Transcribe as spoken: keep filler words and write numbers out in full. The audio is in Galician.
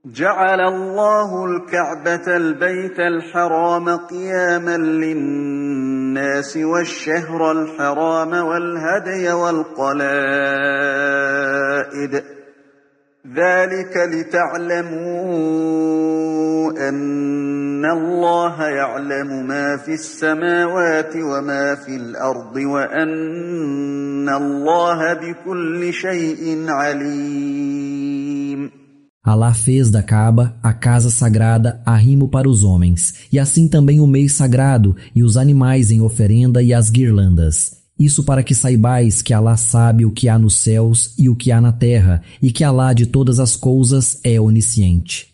جعل الله الكعبة البيت الحرام قياما للناس والشهر الحرام والهدي والقلائد ذلك لتعلموا أن الله يعلم ما في السماوات وما في الأرض وأن الله بكل شيء عليم. Alá fez da Kaaba a casa sagrada arrimo para os homens, e assim também o mês sagrado e os animais em oferenda e as guirlandas. Isso para que saibais que Alá sabe o que há nos céus e o que há na terra, e que Alá de todas as coisas é onisciente.